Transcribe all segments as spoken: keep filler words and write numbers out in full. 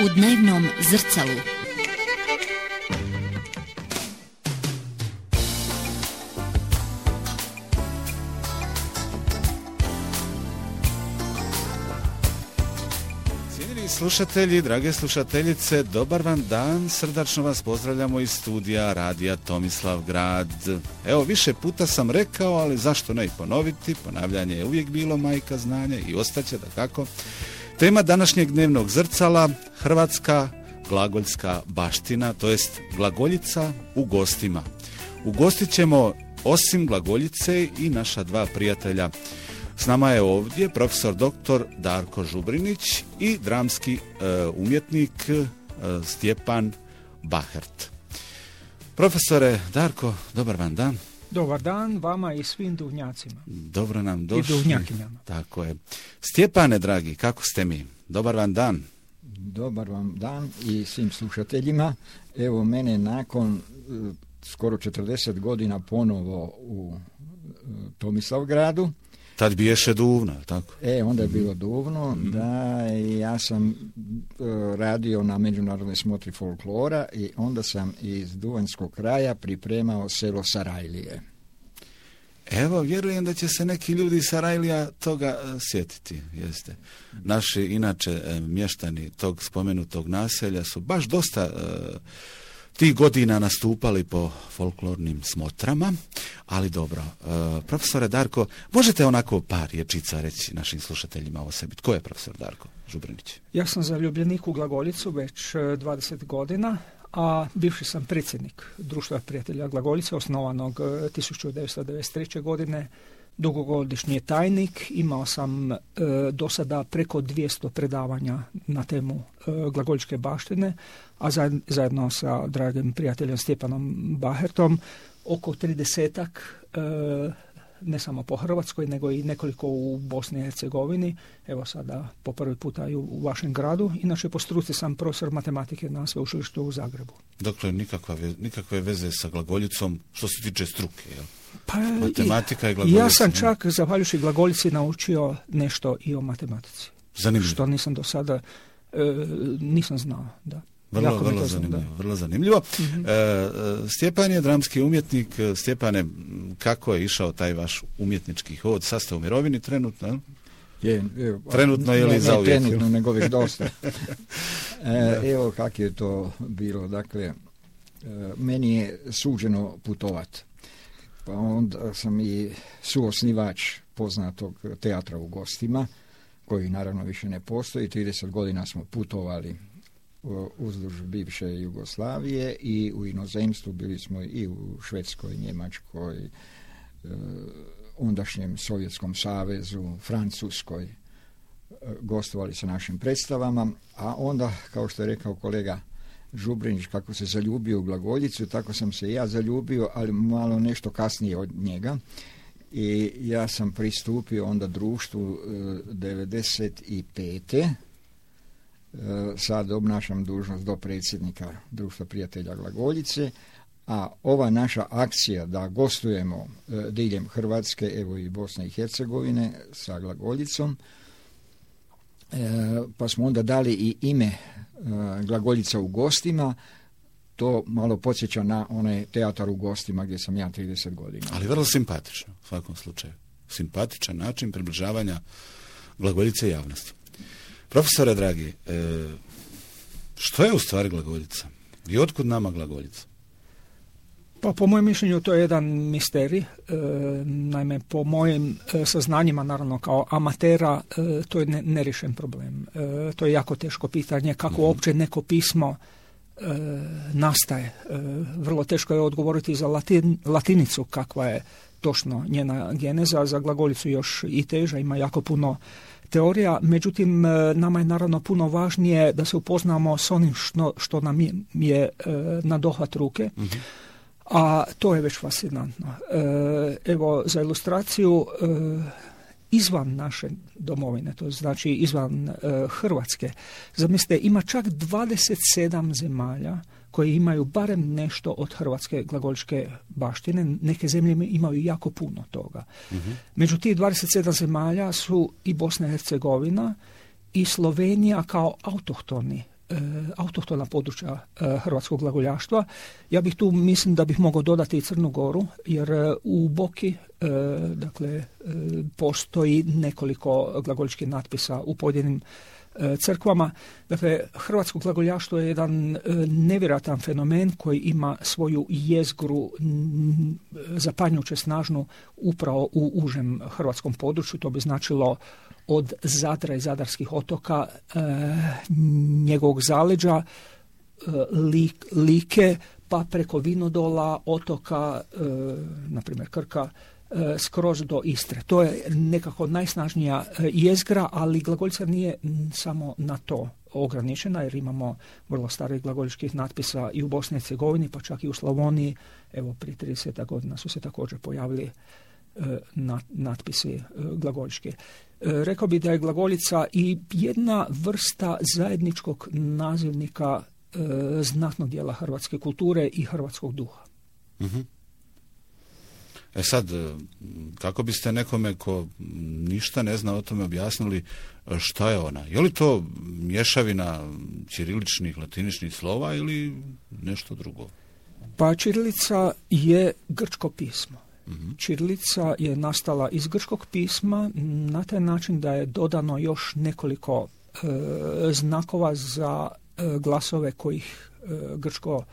U dnevnom zrcalu. Cijenjeni slušatelji, drage slušateljice, dobar vam dan, srdačno vas pozdravljamo iz studija Radija Tomislavgrad. Evo, više puta sam rekao, ali zašto ne i ponoviti, ponavljanje je uvijek bilo majka znanja i ostaće dakako. Tema današnjeg dnevnog zrcala, hrvatska glagoljska baština, to jest glagoljica u gostima. Ugostit ćemo osim glagoljice i naša dva prijatelja. S nama je ovdje profesor doktor Darko Žubrinić i dramski e, umjetnik e, Stjepan Bahert. Profesore Darko, dobar vam dan. Dobar dan vama i svim duvnjacima. Dobro nam došli. I duvnjakinjama. Tako je. Stjepane, dragi, kako ste mi? Dobar vam dan. Dobar vam dan i svim slušateljima. Evo, mene nakon uh, skoro četrdeset godina ponovo u uh, Tomislavgradu. Tad biješe Duvno, tako? E, onda je bilo Duvno, mm-hmm. da, ja sam uh, radio na međunarodnoj smotri folklora i onda sam iz Duvanjskog kraja pripremao selo Sarajlije. Evo, vjerujem da će se neki ljudi iz Sarajlija toga uh, sjetiti, jeste. Naši, inače, uh, mještani tog spomenutog naselja su baš dosta uh, tih godina nastupali po folklornim smotrama, ali dobro. Uh, profesore Darko, možete onako par riječica reći našim slušateljima o sebi? Tko je profesor Darko Žubrinić? Ja sam zaljubljenik u glagoljicu već dvadeset godina, a bivši sam predsjednik Društva prijatelja glagoljice, osnovanog tisuću devetsto devedeset treće. godine, dugogodišnji tajnik. Imao sam e, do sada preko dvjesto predavanja na temu e, glagoljičke baštine, a zajedno sa dragim prijateljem Stjepanom Bahertom oko tridesetak e, ne samo po Hrvatskoj, nego i nekoliko u Bosni i Hercegovini. Evo sada po prvi puta i u vašem gradu. Inače, po struci sam profesor matematike na sveučilištu u Zagrebu. Dakle, nikakva, nikakve veze sa glagoljicom što se tiče struke, jel? Pa, matematika i glagoljica. Ja sam čak, zahvaljujući glagoljici, naučio nešto i o matematici. Zanimljivo. Što nisam do sada, e, nisam znao, da. Vrlo, vrlo zanimljivo, vrlo zanimljivo. Mm-hmm. E, Stjepan je dramski umjetnik. Stjepane, kako je išao taj vaš umjetnički hod? Sad ste u mirovini trenutno? Je, je, trenutno je li ne, zauvijek? Ne, trenutno, nego već dosta. e, evo kako je to bilo. Dakle, e, meni je suđeno putovat. Pa onda sam i suosnivač poznatog teatra u Gostima, koji naravno više ne postoji. trideset godina smo putovali uzduž bivše Jugoslavije i u inozemstvu, bili smo i u Švedskoj, Njemačkoj, e, ondašnjem Sovjetskom savezu, Francuskoj, e, gostovali sa našim predstavama, a onda, kao što je rekao kolega Žubrinić, kako se zaljubio u glagoljicu, tako sam se i ja zaljubio, ali malo nešto kasnije od njega. I ja sam pristupio onda društvu e, devedeset pete. Sad obnašam dužnost dopredsjednika Društva prijatelja glagoljice, a ova naša akcija da gostujemo e, diljem Hrvatske, evo i Bosne i Hercegovine sa glagoljicom, e, pa smo onda dali i ime e, glagoljica u gostima. To malo podsjeća na onaj teatar u Gostima gdje sam ja trideset godina. Ali vrlo simpatično u svakom slučaju. Simpatičan način približavanja glagoljice javnosti. Profesore dragi, e, što je u stvari glagoljica? I otkud nama glagoljica? Pa po mojem mišljenju to je jedan misterij. E, naime, po mojim e, saznanjima, naravno kao amatera, e, to je ne, neriješen problem. E, to je jako teško pitanje kako mm-hmm. uopće neko pismo e, nastaje. E, vrlo teško je odgovoriti za latin, latinicu kakva je točno njena geneza, za glagoljicu još i teža, ima jako puno teorija, međutim nama je naravno puno važnije da se upoznamo s onim što, što nam je, je na dohvat ruke, mm-hmm. a to je već fascinantno. E, evo, za ilustraciju, e, izvan naše domovine, to znači izvan e, Hrvatske, zamislite, ima čak dvadeset sedam zemalja koje imaju barem nešto od hrvatske glagoljičke baštine. Neke zemlje imaju jako puno toga. Mm-hmm. Među tih dvadeset sedam zemalja su i Bosna i Hercegovina i Slovenija kao autohtoni autohtona područja hrvatskog glagoljaštva. Ja bih tu, mislim da bih mogao dodati i Crnu Goru, jer u Boki dakle, postoji nekoliko glagoljičkih natpisa u pojedinim crkvama. Dakle, hrvatsko glagoljaštvo je jedan nevjerojatan fenomen koji ima svoju jezgru zapanjujuće snažnu upravo u užem hrvatskom području. To bi značilo od Zadra i Zadarskih otoka, e, njegovog zaleđa, e, lik, Like, pa preko Vinodola, otoka, e, na primjer Krka, e, skroz do Istre. To je nekako najsnažnija jezgra, ali glagoljica nije samo na to ograničena, jer imamo vrlo starih glagoljičkih natpisa i u Bosni i Hercegovini, pa čak i u Slavoniji. Evo, prije trideset godina su se također pojavili e, nat, natpisi e, glagoljički. Rekao bi da je glagoljica i jedna vrsta zajedničkog nazivnika e, znatnog dijela hrvatske kulture i hrvatskog duha. Uh-huh. E sad, kako biste nekome ko ništa ne zna o tome objasnili šta je ona? Je li to mješavina ćiriličnih, latiničnih slova ili nešto drugo? Pa ćirilica je grčko pismo. Ćirilica je nastala iz grčkog pisma na taj način da je dodano još nekoliko e, znakova za e, glasove kojih e, grčko,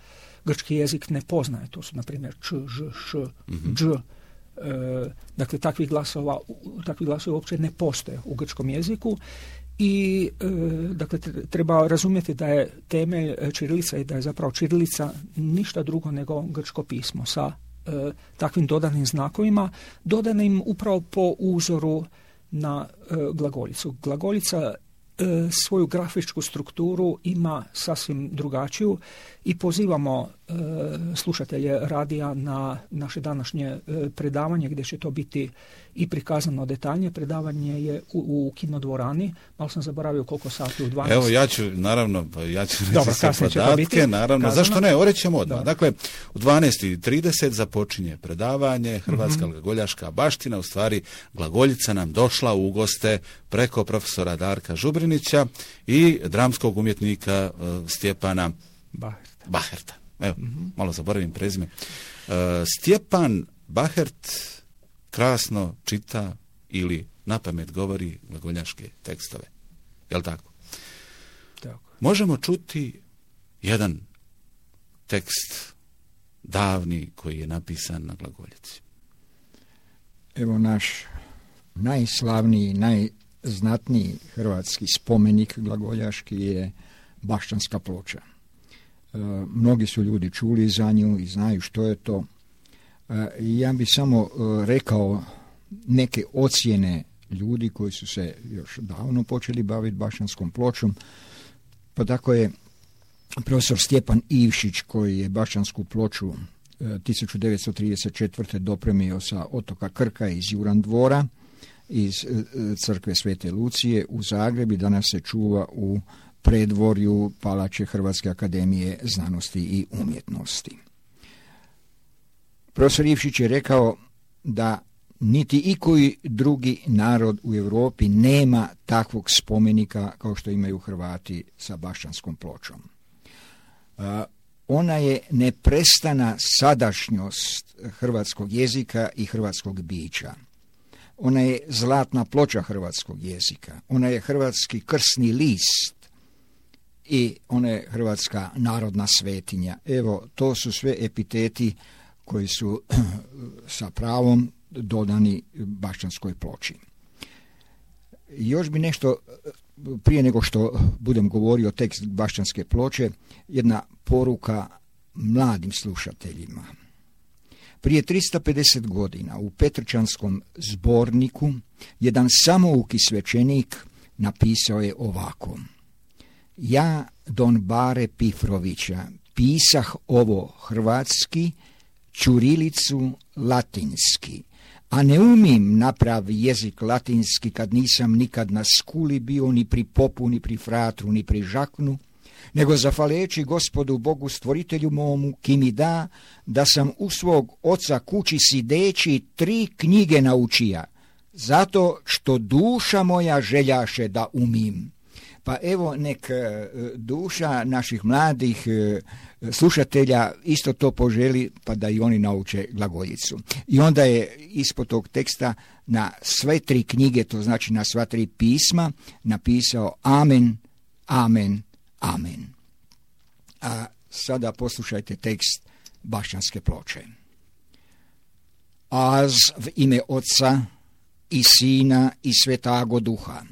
grčki jezik ne poznaje. To su, na primjer, č, ž, š, mm-hmm. dž. E, dakle, takvih glasova, takvi glasovi uopće ne postoje u grčkom jeziku. I e, dakle, treba razumjeti da je temelj ćirilica i da je zapravo ćirilica ništa drugo nego grčko pismo sa E, takvim dodanim znakovima, dodanim upravo po uzoru na e, glagoljicu. Glagoljica e, svoju grafičku strukturu ima sasvim drugačiju i pozivamo e, slušatelje radija na naše današnje e, predavanje, gdje će to biti i prikazano detaljnije. Predavanje je u, u kinodvorani. Malo sam zaboravio koliko sati, u dvanaest. Evo, ja ću, naravno, ja ću reći Dobar, sve podatke, naravno. Kazano. Zašto ne? Orećemo odmah. Dobar. Dakle, u dvanaest i trideset započinje predavanje. Hrvatska mm-hmm. glagoljaška baština, u stvari glagoljica nam došla u goste preko profesora Darka Žubrinića i dramskog umjetnika uh, Stjepana Baherta. Baherta. Evo, Mm-hmm. malo zaboravim prezime. Uh, Stjepan Bahert krasno čita ili napamet govori glagoljaške tekstove. Jel' tako? Tako. Možemo čuti jedan tekst davni koji je napisan na glagoljici. Evo naš najslavniji, najznatniji hrvatski spomenik glagoljaški je Bašćanska ploča. E, mnogi su ljudi čuli za nju i znaju što je to. E, ja bih samo e, rekao neke ocjene ljudi koji su se još davno počeli baviti Bašćanskom pločom. Pa tako je profesor Stjepan Ivšić, koji je Bašćansku ploču e, tisuću devetsto trideset četvrte dopremio sa otoka Krka iz Juran dvora, iz e, crkve Svete Lucije u Zagreb i danas se čuva u predvorju palače Hrvatske akademije znanosti i umjetnosti. Profesor Ivšić je rekao da niti ikoji drugi narod u Europi nema takvog spomenika kao što imaju Hrvati sa Bašćanskom pločom. Uh, ona je neprestana sadašnjost hrvatskog jezika i hrvatskog bića. Ona je zlatna ploča hrvatskog jezika. Ona je hrvatski krsni list i ona je hrvatska narodna svetinja. Evo, to su sve epiteti koji su sa pravom dodani Bašćanskoj ploči. Još bi nešto, prije nego što budem govorio tekst Bašćanske ploče, jedna poruka mladim slušateljima. Prije tristo pedeset godina u Petrčanskom zborniku jedan samouki svećenik napisao je ovako: ja, don Bare Pifrovića, pisah ovo hrvatski, ćurilicu latinski, a ne umim napravi jezik latinski kad nisam nikad na skuli bio ni pri popu, ni pri fratru, ni pri žaknu, nego zahvaleći gospodu Bogu stvoritelju momu, ki mi da, da sam u svog oca kući sideći tri knjige naučija, zato što duša moja željaše da umim. Pa evo nek duša naših mladih slušatelja isto to poželi, pa da i oni nauče glagoljicu. I onda je ispod tog teksta na sve tri knjige, to znači na sva tri pisma, napisao amen, amen, amen. A sada poslušajte tekst Bašćanske ploče. Az v ime Otca i Sina i Svetago Duha.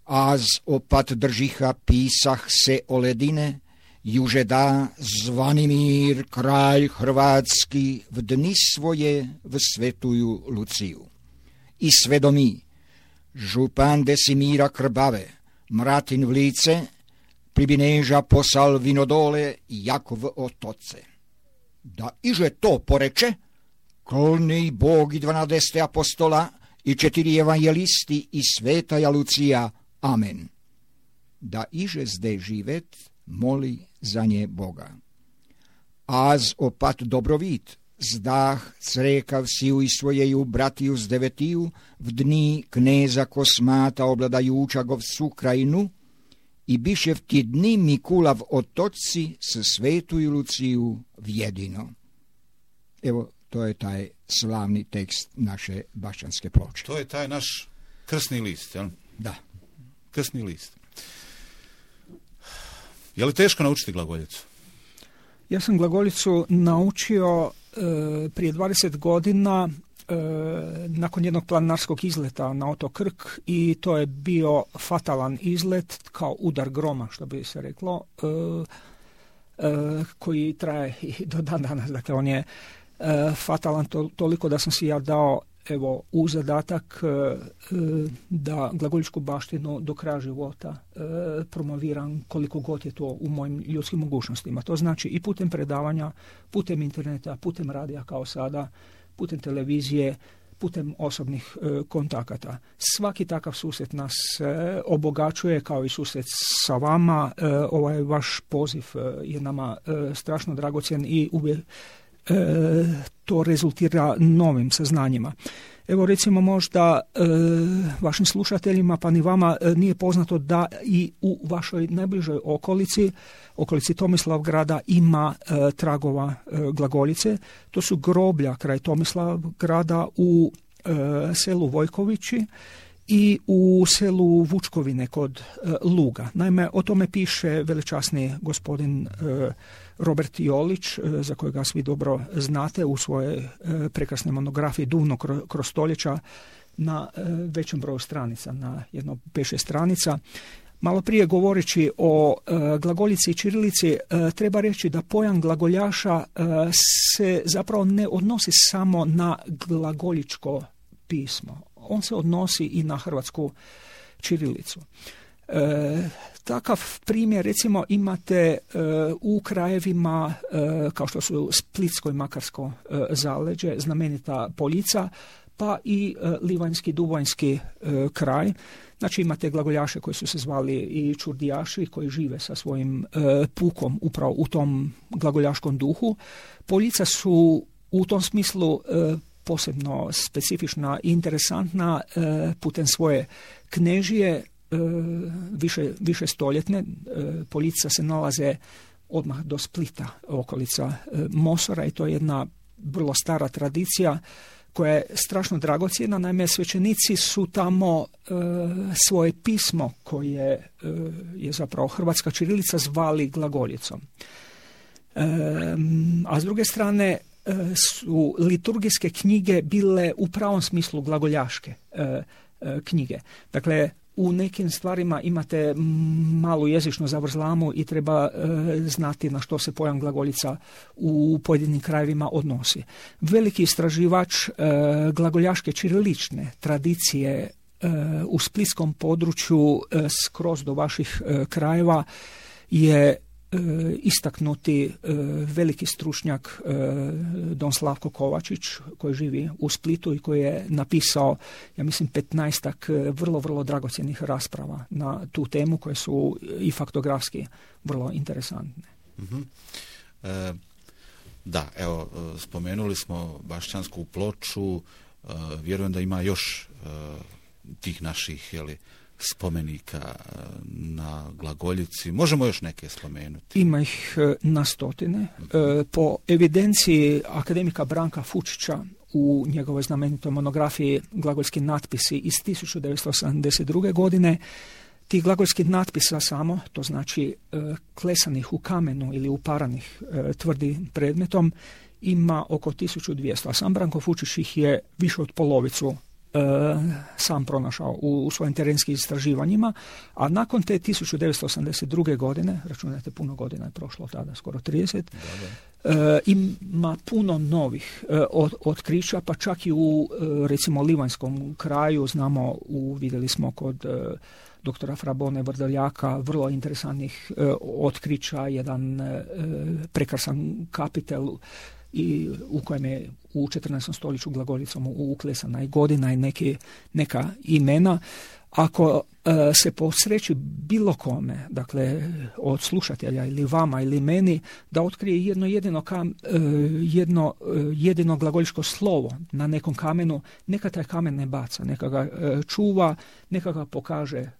Az opat držiha pisah se o ledine, juže da Zvanimir, kralj hrvatski, v dni svoje v svetuju Luciju. I svedomi, župan Desimira Krbave, mratin v lice, pribineža posal vinodole, jak v otoce. Da iže to poreče, kolni Bog i dvanadeste apostola i četiri evanjelisti i svetaja Lucija, amen. Da iže zde živet, moli za nje Boga. Az opat dobrovit, zdah crekav siju i svojeju bratiju z devetiju, v dni kneza Kosmata obladajuča govcu krajinu, i biše v ti dni Mikulav otoci s svetuju Luciju vjedino. Evo, to je taj slavni tekst naše Bašćanske ploče. To je taj naš krsni list, jel? Da. Krsni list. Je li teško naučiti glagoljicu? Ja sam glagoljicu naučio e, prije dvadeset godina e, nakon jednog planinarskog izleta na otok Krk, i to je bio fatalan izlet, kao udar groma, što bi se reklo, e, e, koji traje i do dan danas. Dakle, on je e, fatalan to, toliko da sam si ja dao evo u zadatak e, da glagoljičku baštinu do kraja života e, promoviram koliko god je to u mojim ljudskim mogućnostima. To znači i putem predavanja, putem interneta, putem radija kao sada, putem televizije, putem osobnih e, kontakata. Svaki takav susret nas e, obogaćuje, kao i susret sa vama. E, ovaj vaš poziv e, je nama e, strašno dragocjen i uvijek E, to rezultira novim saznanjima. Evo recimo možda e, vašim slušateljima pa ni vama e, nije poznato da i u vašoj najbližoj okolici, okolici Tomislavgrada ima e, tragova e, glagoljice. To su groblja kraj Tomislavgrada u e, selu Vojkovići i u selu Vučkovine kod e, Luga. Naime, o tome piše veličasni gospodin e, Robert Jolić, e, za kojega svi dobro znate, u svojoj e, prekrasnoj monografiji Duvno kroz stoljeća na e, većem broju stranica, na jedno pet šest stranica. Malo prije govoreći o e, glagoljici i ćirilici, e, treba reći da pojam glagoljaša e, se zapravo ne odnosi samo na glagoljičko pismo. On se odnosi i na hrvatsku ćirilicu. E, takav primjer recimo imate e, u krajevima e, kao što su Splitsko i Makarsko e, zaleđe, znamenita Poljica, pa i e, Livanjski, Duvanjski e, kraj. Znači imate glagoljaše koji su se zvali i čurdijaši, koji žive sa svojim e, pukom upravo u tom glagoljaškom duhu. Poljica su u tom smislu e, posebno specifična i interesantna e, putem svoje knežije e, više, više stoljetne. E, Poljica se nalaze odmah do Splita, okolica e, Mosora, i to je jedna vrlo stara tradicija koja je strašno dragocjena. Naime, svećenici su tamo e, svoje pismo, koje e, je zapravo hrvatska ćirilica, zvali glagoljicom. E, a s druge strane su liturgijske knjige bile u pravom smislu glagoljaške e, e, knjige. Dakle, u nekim stvarima imate malu jezičnu zavrzlamu i treba e, znati na što se pojam glagoljica u pojedinim krajevima odnosi. Veliki istraživač e, glagoljaške ćirilične tradicije e, u splitskom području e, skroz do vaših e, krajeva je istaknuti veliki stručnjak don Slavko Kovačić, koji živi u Splitu i koji je napisao, ja mislim, petnaestak vrlo, vrlo dragocjenih rasprava na tu temu, koje su i faktografski vrlo interesantne. Mm-hmm. E, da, evo, spomenuli smo Bašćansku ploču, e, vjerujem da ima još e, tih naših, jeli, spomenika na Glagoljici? Možemo još neke spomenuti? Ima ih na stotine. Po evidenciji akademika Branka Fučića u njegovoj znamenitoj monografiji Glagoljski natpisi iz tisuću devetsto osamdeset druge. godine, tih glagolskih natpisa samo, to znači klesanih u kamenu ili uparanih tvrdim predmetom, ima oko tisuću dvjesto, a sam Branko Fučić ih je više od polovicu sam pronašao u, u svojim terenskim istraživanjima, a nakon te tisuću devetsto osamdeset druge. godine, računajte puno godina je prošlo od tada, skoro trideset, da, da. E, ima puno novih e, od, otkrića, pa čak i u e, recimo Livanjskom kraju, znamo, u, vidjeli smo kod e, doktora Frabone Vrdoljaka vrlo interesantnih e, otkrića, jedan e, prekrasan kapitel i u kojem je u četrnaestom stoljeću glagoljicom uklesana i godina i neke, neka imena. Ako e, se posreći bilo kome, dakle od slušatelja ili vama ili meni, da otkrije jedno jedino, kam, e, jedno, e, jedino glagoljičko slovo na nekom kamenu, neka taj kamen ne baca, neka ga e, čuva, neka ga pokaže e,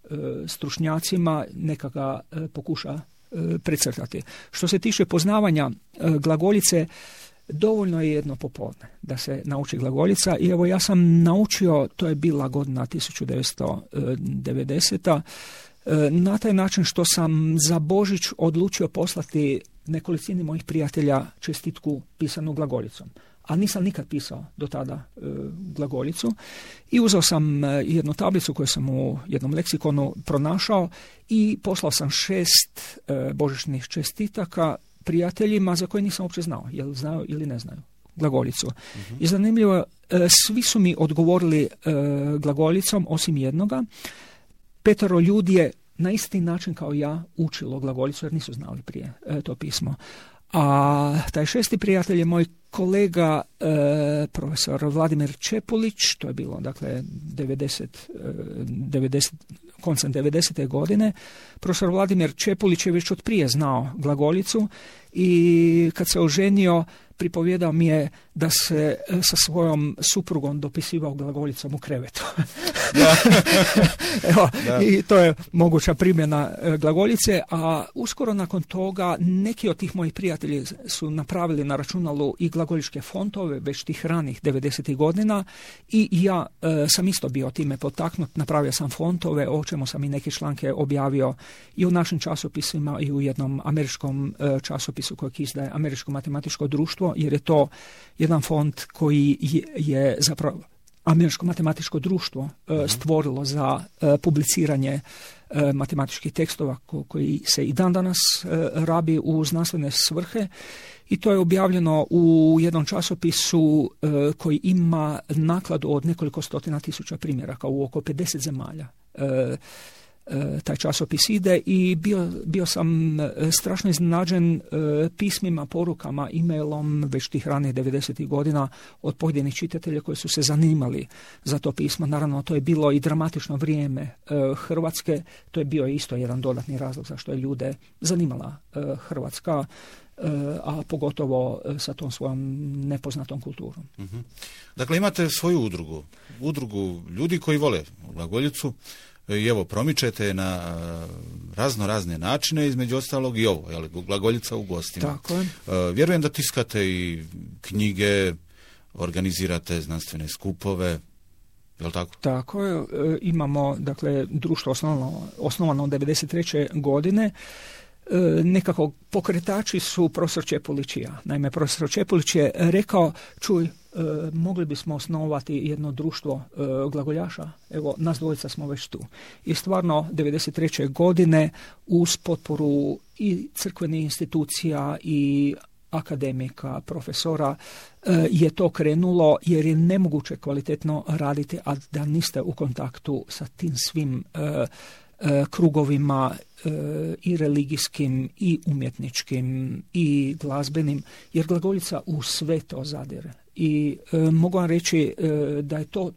stručnjacima, neka ga e, pokuša e, precrtati. Što se tiče poznavanja e, glagoljice, dovoljno je jedno popodne da se nauči glagoljica i evo ja sam naučio, to je bila godina tisuću devetsto devedeseta. Na taj način što sam za Božić odlučio poslati nekolicini mojih prijatelja čestitku pisanu glagoljicom. A nisam nikad pisao do tada e, glagoljicu i uzeo sam jednu tablicu koju sam u jednom leksikonu pronašao i poslao sam šest e, božićnih čestitaka prijateljima za koje nisam uopće znao, jel znaju ili ne znaju glagoljicu. Uh-huh. I zanimljivo, e, svi su mi odgovorili e, glagoljicom, osim jednoga. Petero ljudi je na isti način kao ja učilo glagoljicu, jer nisu znali prije e, to pismo. A taj šesti prijatelj je moj kolega e, profesor Vladimir Čepulić, to je bilo dakle devedeset, devedeset, koncem devedesete. godine. Profesor Vladimir Čepulić je već od prije znao glagoljicu i kad se oženio pripovjedao mi je da se sa svojom suprugom dopisivao glagoljicom u krevetu. Evo, i to je moguća primjena glagoljice, a uskoro nakon toga neki od tih mojih prijatelji su napravili na računalu i glagoljičke fontove već tih ranih devedesetih godina i ja e, sam isto bio time potaknut, napravio sam fontove, o čemu sam i neke članke objavio i u našim časopisima i u jednom američkom e, časopisu kojeg izdaje Američko matematičko društvo, jer je to jedan font koji je, je zapravo Američko matematičko društvo e, stvorilo za e, publiciranje e, matematičkih tekstova ko, koji se i dan danas e, rabi u znanstvene svrhe i to je objavljeno u jednom časopisu e, koji ima nakladu od nekoliko stotina tisuća primjeraka u oko pedeset zemalja. E, taj časopis ide i bio, bio sam strašno iznenađen pismima, porukama, e-mailom već tih ranih devedesetih godina od pojedinih čitatelja koji su se zanimali za to pismo. Naravno, to je bilo i dramatično vrijeme Hrvatske, to je bio isto jedan dodatni razlog zašto je ljude zanimala Hrvatska, a pogotovo sa tom svojom nepoznatom kulturom. Uh-huh. Dakle, imate svoju udrugu, udrugu ljudi koji vole glagoljicu, i evo, promičete na razno razne načine, između ostalog i ovo, jel, glagoljica u gostima. Tako je. Vjerujem da tiskate i knjige, organizirate znanstvene skupove, jel tako? Tako je. Imamo, dakle, društvo osnovano, osnovano devedeset treće. godine. Nekako pokretači su profesor Čepulić i ja. Naime, profesor Čepulić je rekao, čuj, e, mogli bismo osnovati jedno društvo e, glagoljaša, evo, nas dvojica smo već tu. I stvarno, devedeset treće. godine uz potporu i crkvenih institucija i akademika, profesora, e, je to krenulo jer je nemoguće kvalitetno raditi, a da niste u kontaktu sa tim svim e, krugovima e, i religijskim i umjetničkim i glazbenim, jer glagoljica u sve to zadire. I e, mogu vam reći e, da je to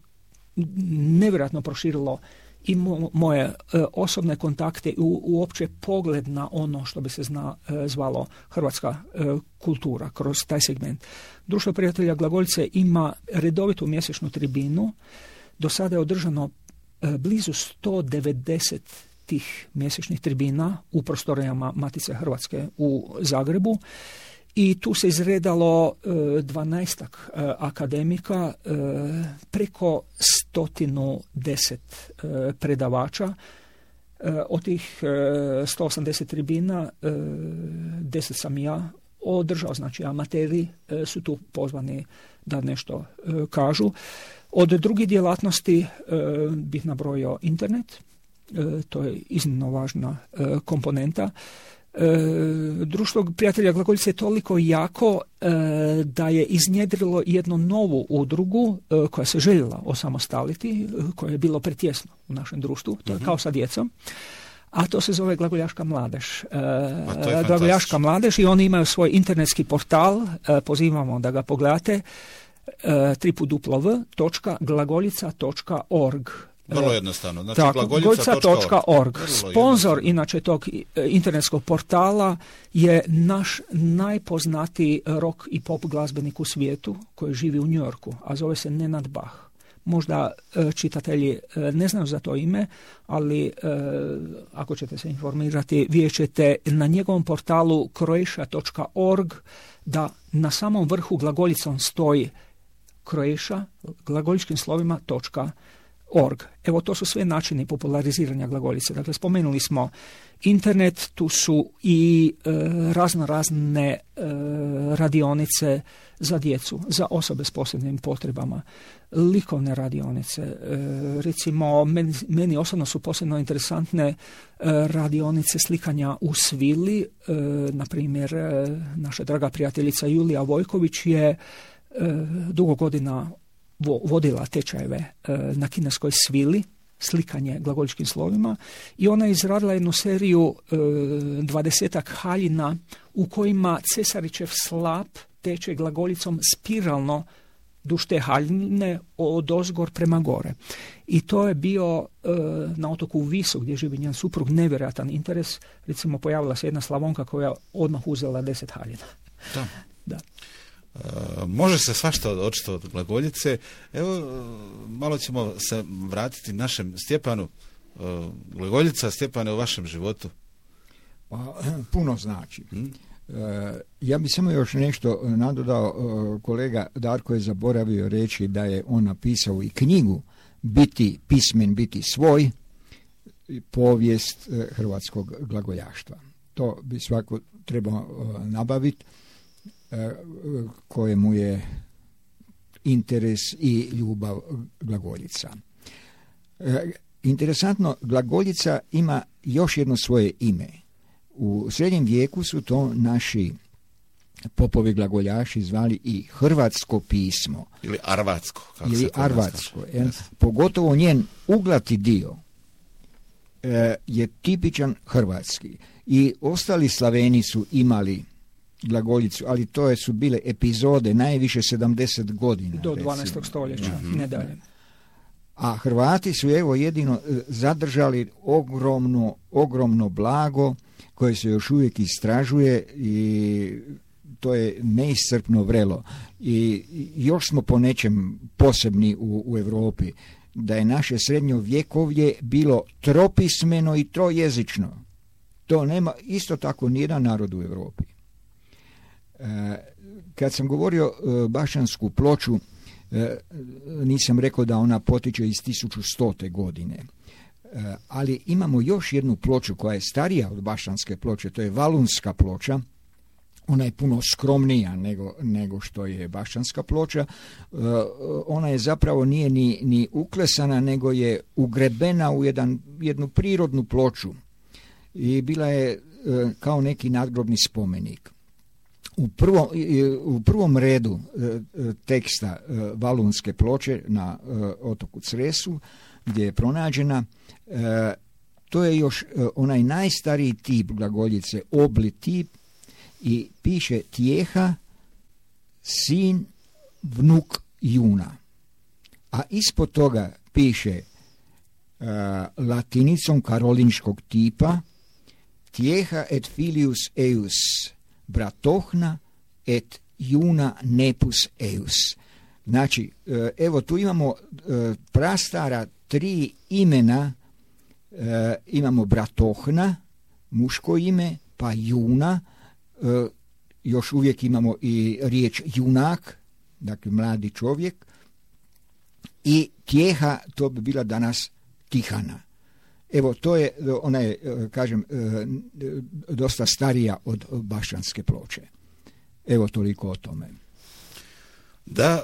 nevjerojatno proširilo i mo, moje e, osobne kontakte i u, uopće pogled na ono što bi se zna, e, zvalo hrvatska e, kultura kroz taj segment. Društvo prijatelja glagoljice ima redovitu mjesečnu tribinu. Do sada je održano blizu sto devedeset tih mjesečnih tribina u prostorijama Matice Hrvatske u Zagrebu i tu se izredalo dvanaestak akademika, preko stotinu deset predavača. Od tih sto osamdeset tribina deset sam ja održao, znači amateri su tu pozvani da nešto kažu. Od drugih djelatnosti bih nabrojio internet, to je iznimno važna komponenta. Društvo prijatelja glagoljice je toliko jako da je iznjedrilo jednu novu udrugu koja se željela osamostaliti, koje je bilo pretjesno u našem društvu, to je uh-huh. kao sa djecom, a to se zove Glagoljaška mladež. Glagoljaška mladež i oni imaju svoj internetski portal, pozivamo da ga pogledate, w w w točka glagoljica točka org. Vrlo jednostavno. Znači, tako, glagoljica točka org. Sponzor inače tog internetskog portala je naš najpoznatiji rock i pop glazbenik u svijetu koji živi u New Yorku, a zove se Nenad Bach. Možda e, čitatelji e, ne znaju za to ime, ali e, ako ćete se informirati, vidjet ćete na njegovom portalu croatia točka org da na samom vrhu glagoljicom stoji Croatia, glagoljičkim slovima točka org. Evo, to su sve načini populariziranja glagoljice. Dakle, spomenuli smo internet, tu su i e, razno razne e, radionice za djecu, za osobe s posebnim potrebama, likovne radionice. E, recimo, meni, meni osobno su posebno interesantne e, radionice slikanja u svili. E, na primjer, e, naša draga prijateljica Julija Vojković je e, dugo godina vodila tečajeve e, na kineskoj svili, slikanje glagoljičkim slovima, i ona je izradila jednu seriju e, dvadesetak haljina u kojima Cesarićev slap teče glagoljicom spiralno duž te haljine od ozgor prema gore. I to je bio e, na otoku Visu, gdje živi njen suprug, nevjerojatan interes. Recimo, pojavila se jedna Slavonka koja odmah uzela deset haljina. Da. Da. Uh, može se svašta očito od glagoljice. Evo, malo ćemo se vratiti našem Stjepanu. Uh, glagoljica, Stjepane, u vašem životu? Pa, puno znači. Hmm? Uh, ja bi samo još nešto nadodao. Uh, kolega Darko je zaboravio reći da je on napisao i knjigu Biti pismen, biti svoj, povijest uh, hrvatskog glagoljaštva. To bi svako trebao uh, nabaviti, kojemu je interes i ljubav glagoljica. Interesantno, glagoljica ima još jedno svoje ime. U srednjem vijeku su to naši popovi glagoljaši zvali i hrvatsko pismo. Ili arvatsko. Kako ili arvatsko. Yes. Pogotovo njen uglati dio je tipičan hrvatski. I ostali Slaveni su imali glagoljicu, ali to je, su bile epizode najviše sedamdeset godina. Do dvanaestog stoljeća, mm-hmm. ne dalje. A Hrvati su evo jedino zadržali ogromno, ogromno blago koje se još uvijek istražuje i to je neiscrpno vrelo. I još smo po nečem posebni u, u Europi, da je naše srednjovjekovlje bilo tropismeno i trojezično. To nema isto tako nijedan narod u Europi. Kad sam govorio Bašćansku ploču, nisam rekao da ona potiče iz tisuću stote godine. Ali imamo još jednu ploču koja je starija od Bašćanske ploče, to je Valunska ploča. Ona je puno skromnija nego, nego što je Bašćanska ploča. Ona je zapravo nije ni, ni uklesana, nego je ugrebena u jedan, jednu prirodnu ploču i bila je kao neki nadgrobni spomenik. U prvom, u prvom redu teksta Valunske ploče na otoku Cresu, gdje je pronađena, to je još onaj najstariji tip glagoljice, obli tip, i piše Tjeha, sin, vnuk Juna. A ispod toga piše latinicom karolinškog tipa Tjeha et filius eius bratohna et Juna nepus eius. Znači, evo tu imamo prastara tri imena, e, imamo Bratohna, muško ime, pa Juna, e, još uvijek imamo i riječ junak, dakle mladi čovjek, i Tjeha, to bi bila danas Tihana. Evo, to je, ona je, kažem, dosta starija od Bašćanske ploče. Evo, toliko o tome. Da,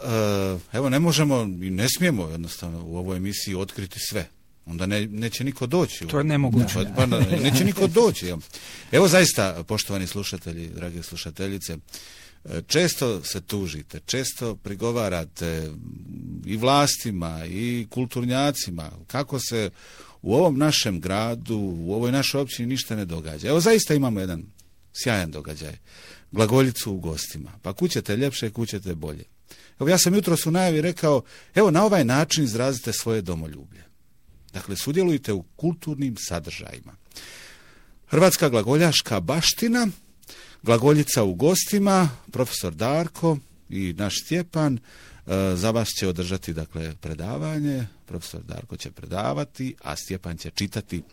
evo, ne možemo i ne smijemo jednostavno u ovoj emisiji otkriti sve. Onda ne, neće niko doći. To je nemoguće. Da, pa, neće niko doći. Evo, zaista, poštovani slušatelji, drage slušateljice, često se tužite, često prigovarate i vlastima i kulturnjacima kako se u ovom našem gradu, u ovoj našoj općini ništa ne događa. Evo, zaista imamo jedan sjajan događaj. Glagoljicu u gostima. Pa kućete ljepše, kućete bolje. Evo, ja sam jutros u najavi rekao, evo, na ovaj način izrazite svoje domoljublje. Dakle, sudjelujte u kulturnim sadržajima. Hrvatska glagoljaška baština, Glagoljica u gostima, profesor Darko i naš Stjepan, za vas će održati, dakle, predavanje. Profesor Darko će predavati, a Stjepan će čitati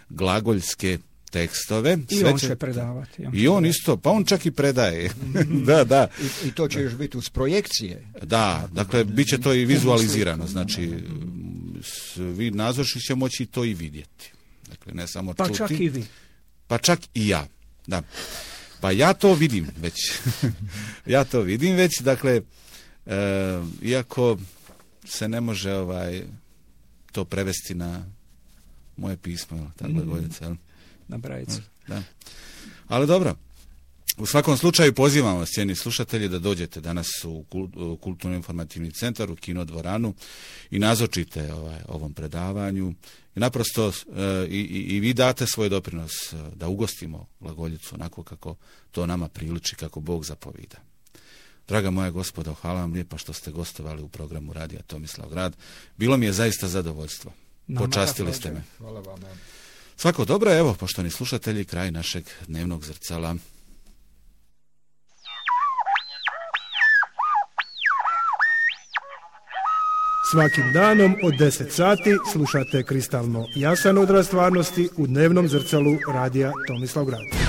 glagoljske tekstove. I Sve on će će predavati. On I on isto, pa on čak i predaje. da, da. I, I to će još biti uz projekcije. Da, dakle, bit će to i vizualizirano. Znači, svi nazočni će moći to i vidjeti. Dakle, ne samo pa čuti. Pa čak i vi. Pa čak i ja, da. Pa ja to vidim već. ja to vidim već, dakle, e, iako se ne može ovaj to prevesti na moje pismo, ta glagoljica. Mm, na brajicu. Da. Ali dobro, u svakom slučaju pozivam vas, cijeni slušatelji, da dođete danas u Kulturno-informativni centar, u Kinodvoranu i nazočite ovaj, ovom predavanju. I naprosto e, i, i vi date svoj doprinos da ugostimo glagoljicu onako kako to nama priliči, kako Bog zapovida. Draga moja gospodo, hvala vam lijepa što ste gostovali u programu Radija Tomislav Grad. Bilo mi je zaista zadovoljstvo. Nama Počastili ste me. Hvala vam. Svako dobro, evo, poštovani slušatelji, kraj našeg dnevnog zrcala. Svakim danom od deset sati slušate kristalno jasan odraz stvarnosti u dnevnom zrcalu Radija Tomislav Grad.